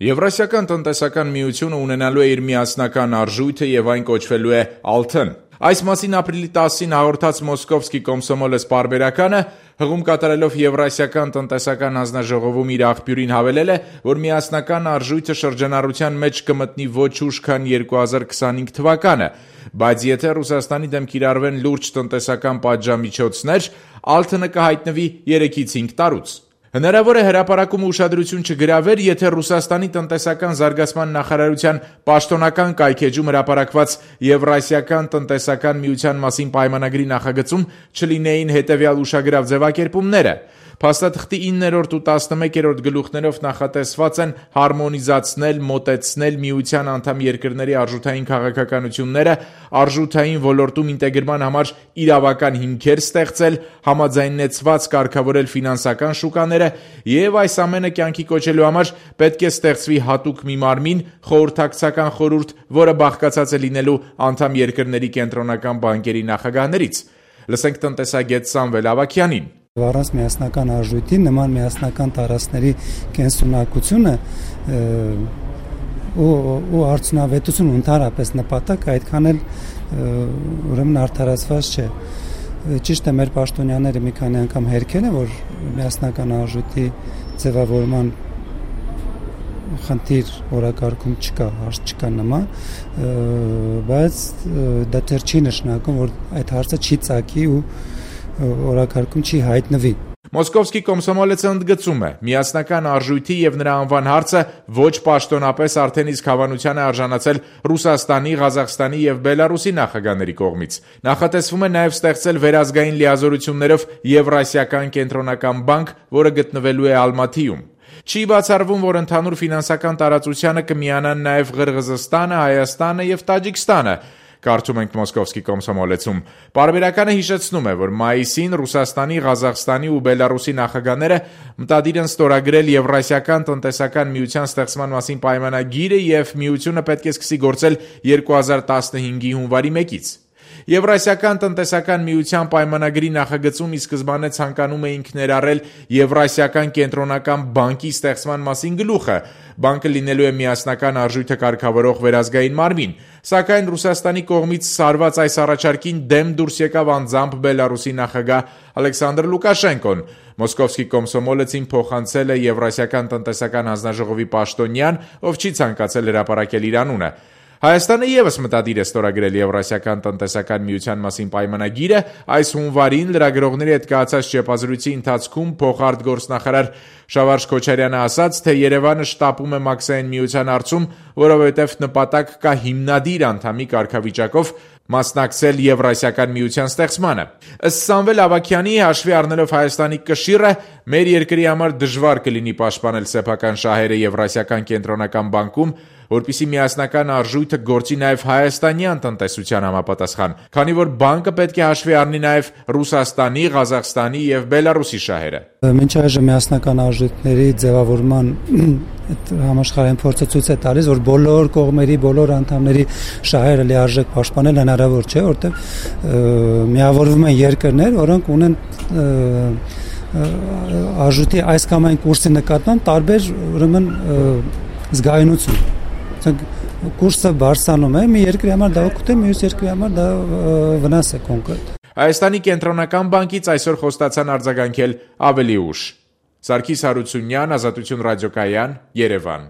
Եվրասիական տնտեսական միությունը ունենալու է իր միասնական արժույթը եւ այն կոչվելու է Ալթն։ Այս մասին ապրիլի 10-ին հաղորդած Մոսկովսկի Կոմսոմոլես պարբերականը հղում կատարելով Եվրասիական տնտեսական հանձնաժողովում իր աղբյուրին հավելել է, որ միասնական արժույթը շրջանառության մեջ կմտնի ոչ ուշ, քան 2025 թվականը, բայց եթե Ռուսաստանի դեմ կիրառվեն լուրջ տնտեսական պատժամիջոցներ, Ալթը կհայտնվի 3-ից 5 տարուց։ Հնարավոր է հրապարակումը ուշադրություն չգրավեր, եթե Ռուսաստանի տնտեսական զարգացման նախարարության պաշտոնական կայքեջում հրապարակված Եվրասիական տնտեսական միության մասին պայմանագրի նախագծում չլինեին հետևյալ ուշագրավ ձևակերպումները։ Փաստաթղթի 9-րդ ու 11-րդ գլուխներով նախատեսված են հարմոնիզացնել, մոտեցնել միության անդամ երկրների արժութային քաղաքականությունները, արժութային ոլորտում ինտեգրման համար իրավական հիմքեր ստեղծել, համաձայնեցված կարգավորել ֆինանսական շուկաները եւ այս ամենը կյանքի կոչելու համար պետք է ստեղծվի հատուկ մի մարմին, խորհրդակցական խորհուրդ, որը բաղկացած է լինելու անդամ երկրների կենտրոնական բանկերի նախագահներից։ Լսենք տնտեսագետ Սամվել Ավագյանին։ Առանց միասնական արժույթի նման միասնական տարածքների կենսունակությունը ու արդյունավետություն ընդհանրապես նպատակ այդքան էլ ուրեմն արդարացված չէ։ Ճիշտ է, մեր պաշտոնյաները մի քանի անգամ հերքել են, որ միասնական արժույթի ձևավորման խնդիր օրակարգում չկա, հարց չկա նման, բայց դա դեռ չի նշանակում, որ այդ հարցը չի ծագի ու օրակարգում չի հայտնվի։ Մոսկովսկի Կոմսոմոլեցը ընդգծում է, միասնական արժույթի եւ նրա անվան հարցը ոչ պաշտոնապես արդեն իսկ հավանության է արժանացել Ռուսաստանի, Ղազախստանի եւ Բելարուսի նախագահների կողմից։ Նախատեսվում է նաեւ ստեղծել վերազգային լիազորություններով Եվրասիական կենտրոնական բանկ, որը գտնվելու է Ալմաթիում։ Չի բացառվում, որ ընդհանուր ֆինանսական տարածությանը կմիանան նաեւ Ղրղզստանը, Հայաստանը եւ Տաջիկստանը։ Կարծում ենք Մոսկովսկի Կոմսոմոլեցում։ Պարբերականը հիշեցնում է, որ մայիսին Ռուսաստանի, Ղազախստանի ու Բելարուսի նախագահները մտադիր են ստորագրել Եվրասիական տնտեսական միության ստեղծման մասին պայմանագիրը եւ միությունը պետք է սկսի գործել 2015-ի հունվարի 1-ից։ Եվրասիական տնտեսական միության պայմանագրի նախագծում ի սկզբանե ցանկանում էինք ներառել Եվրասիական կենտրոնական բանկի ստեղծման մասին գլուխը։ Բանկը լինելու է միասնական արժույթը կարգավորող վերազգային մարմին, սակայն Ռուսաստանի կողմից սարված այս առաջարկին դեմ դուրս եկավ անձամբ Բելարուսի նախագահ Ալեքսանդր Լուկաշենկոն։ Մոսկովսկի Կոմսոմոլեցին փոխանցել է Եվրասիական տնտեսական հանձնաժողովի պաշտոնյան, ով չի ցանկացել հրապարակել իր անունը։ Հայաստանը եւս մտադիր է ստորագրել Եվրասիական տնտեսական միության մասին պայմանագիրը։ Այս հունվարին լրագրողների հետ կայացած ճեպազրույցի ընթացքում փոխարտգործնախարար Շավարժ Քոչարյանը ասաց, թե Երևանը շտապում է Մաքսային միության հարցում, որովհետև նպատակ կա հիմնադիր անդամի կարգավիճակով մասնակցել Եվրասիական միության ստեղծմանը։ Ըստ Սամվել Ավագյանի, հաշվի առնելով Հայաստանի կշիռը, մեր երկրի համար դժվար կլինի պաշտպանել սեփական շահերը Եվրասիական կենտրոնական բանկում, որպեսզի միասնական արժույթը գործի նաև հայաստանյան տնտեսության համապատասխան, քանի որ բանկը պետք է հաշվի առնի նաև Ռուսաստանի, Ղազախստանի եւ Բելարուսի շահերը։ Մինչ այժմ միասնական արժույթների ձևավորման համաշխարհային փորձը ցույց է տալիս, որ բոլոր կողմերի, բոլոր անդամների շահերը լիարժեք պաշտպանել հնարավոր չէ, որտեղ միավորվում են երկրներ, որոնք ունեն արժույթի այս կամ այն կուրսի նկատմամբ տարբեր ուրեմն զգայունություն։ Կուրսը բարձրանում է, մի երկրի համար դա օգուտ է, մյուս երկրի համար դա վնաս է կոնկրետ։ Հայաստանի կենտրոնական բանկից այսօր խոստացան արձագանքել ավելի ուշ։ Սարգիս Հարությունյան, Ազատություն ռադիոկայան, Երևան։